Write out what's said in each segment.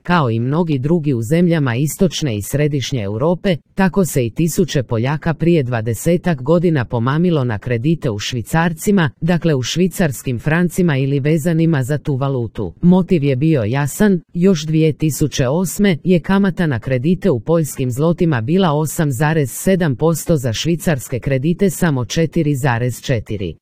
Kao i mnogi drugi u zemljama istočne i središnje Europe, tako se i tisuće Poljaka prije 20 godina pomamilo na kredite u švicarcima, dakle u švicarskim francima ili vezanima za tu valutu. Motiv je bio jasan, još 2008. je kamata na kredite u poljskim zlotima bila 8,7%, za švicarske kredite samo 4,4%.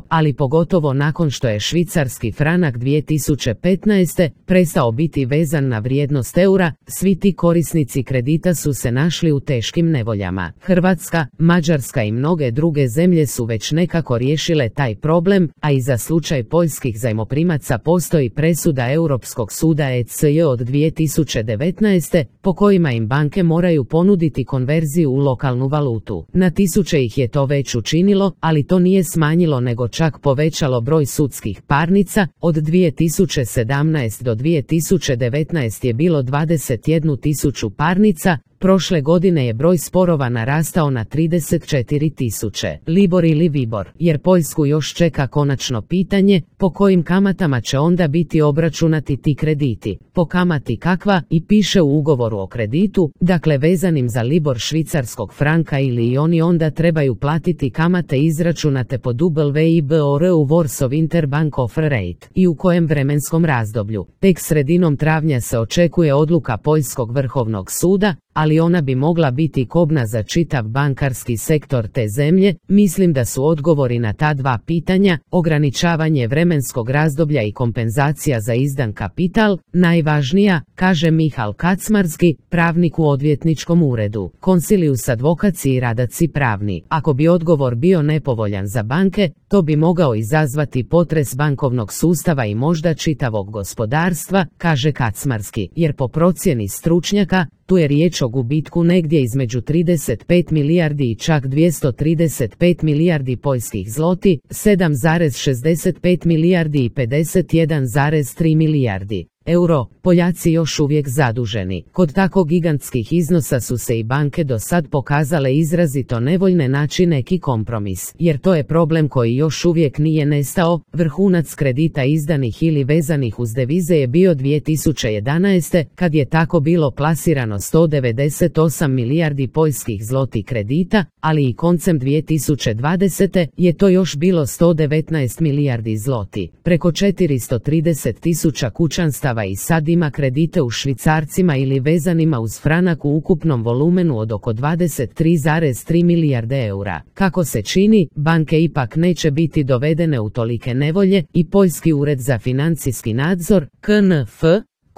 Ali pogotovo nakon što je švicarski franak 2015. prestao biti vezan na vrijednost eura, svi ti korisnici kredita su se našli u teškim nevoljama. Hrvatska, Mađarska i mnoge druge zemlje su već nekako riješile taj problem, a i za slučaj poljskih zajmoprimaca postoji presuda Europskog suda ECJ od 2019. po kojima im banke moraju ponuditi konverziju u lokalnu valutu. Na tisuće ih je to već učinilo, ali to nije smanjilo nego čak povećalo broj sudskih parnica. Od 2017. do 2019 je bilo 21.000 parnica, prošle godine je broj sporova narastao na 34.000. Libor ili Vibor, jer Poljsku još čeka konačno pitanje po kojim kamatama će onda biti obračunati ti krediti. Po kamati kakva i piše u ugovoru o kreditu, dakle vezanim za Libor švicarskog franka, ili i oni onda trebaju platiti kamate izračunate po WIBOR u Warsaw Interbank Offer Rate. I u kojem vremenskom razdoblju? Tek sredinom travnja se očekuje odluka Poljskog vrhovnog suda, ali ona bi mogla biti kobna za čitav bankarski sektor te zemlje. Mislim da su odgovori na ta dva pitanja, ograničavanje vremenskog razdoblja i kompenzacija za izdan kapital, najvažnija, kaže Michal Kacmarski, pravnik u odvjetničkom uredu Consilius Advocacy i Radaci pravni. Ako bi odgovor bio nepovoljan za banke, to bi mogao izazvati potres bankovnog sustava i možda čitavog gospodarstva, kaže Kacmarski, jer po procjeni stručnjaka, tu je riječ o gubitku negdje između 35 milijardi i čak 235 milijardi poljskih zloti, 7,65 milijardi i 51,3 milijardi euro. Poljaci još uvijek zaduženi. Kod tako gigantskih iznosa su se i banke do sad pokazale izrazito nevoljne naći neki kompromis, jer to je problem koji još uvijek nije nestao. Vrhunac kredita izdanih ili vezanih uz devize je bio 2011. kad je tako bilo plasirano 198 milijardi poljskih zloti kredita, ali i koncem 2020. je to još bilo 119 milijardi zloti. Preko 430.000 kućanstava i sad ima kredite u švicarcima ili vezanima uz franak u ukupnom volumenu od oko 23,3 milijarde eura. Kako se čini, banke ipak neće biti dovedene u tolike nevolje i Poljski ured za financijski nadzor, KNF,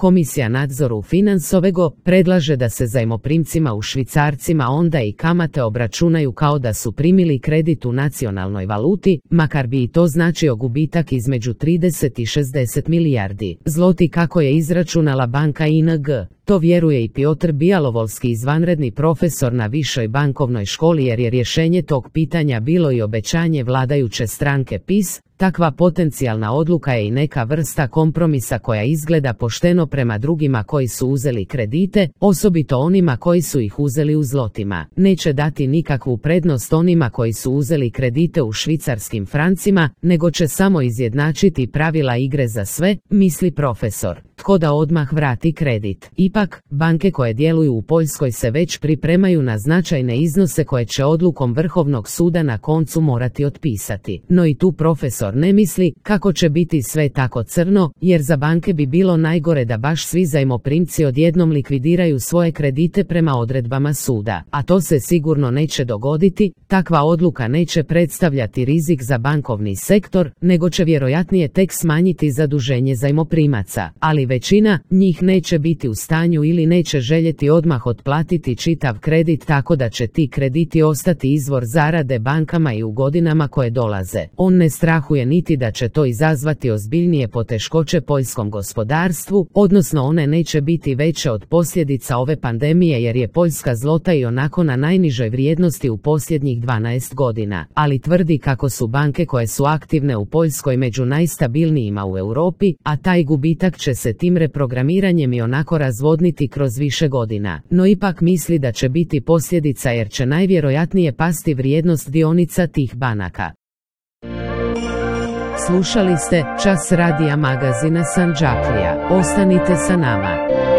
Komisija nadzoru finansovego, predlaže da se zajmoprimcima u švicarcima onda i kamate obračunaju kao da su primili kredit u nacionalnoj valuti, makar bi i to značio gubitak između 30 i 60 milijardi zloti kako je izračunala banka ING. To vjeruje i Piotr Bijalovolski, izvanredni profesor na Višoj bankovnoj školi, jer je rješenje tog pitanja bilo i obećanje vladajuće stranke PiS. Takva potencijalna odluka je i neka vrsta kompromisa koja izgleda pošteno prema drugima koji su uzeli kredite, osobito onima koji su ih uzeli u zlotima. Neće dati nikakvu prednost onima koji su uzeli kredite u švicarskim francima, nego će samo izjednačiti pravila igre za sve, misli profesor. Tko da odmah vrati kredit? Ipak, banke koje djeluju u Poljskoj se već pripremaju na značajne iznose koje će odlukom Vrhovnog suda na koncu morati otpisati. No i tu profesor ne misli kako će biti sve tako crno, jer za banke bi bilo najgore da baš svi zajmoprimci odjednom likvidiraju svoje kredite prema odredbama suda. A to se sigurno neće dogoditi. Takva odluka neće predstavljati rizik za bankovni sektor, nego će vjerojatnije tek smanjiti zaduženje zajmoprimaca. Ali većina njih neće biti u stanju ili neće željeti odmah otplatiti čitav kredit, tako da će ti krediti ostati izvor zarade bankama i u godinama koje dolaze. On ne strahuje niti da će to izazvati ozbiljnije poteškoće poljskom gospodarstvu, odnosno one neće biti veće od posljedica ove pandemije, jer je poljska zlota i onako na najnižoj vrijednosti u posljednjih 12 godina. Ali tvrdi kako su banke koje su aktivne u Poljskoj među najstabilnijima u Europi, a taj gubitak će se tim reprogramiranjem i onako razvodniti kroz više godina. No ipak misli da će biti posljedica, jer će najvjerojatnije pasti vrijednost dionica tih banaka. Slušali ste Čas radija magazina Sandžaklija. Ostanite sa nama.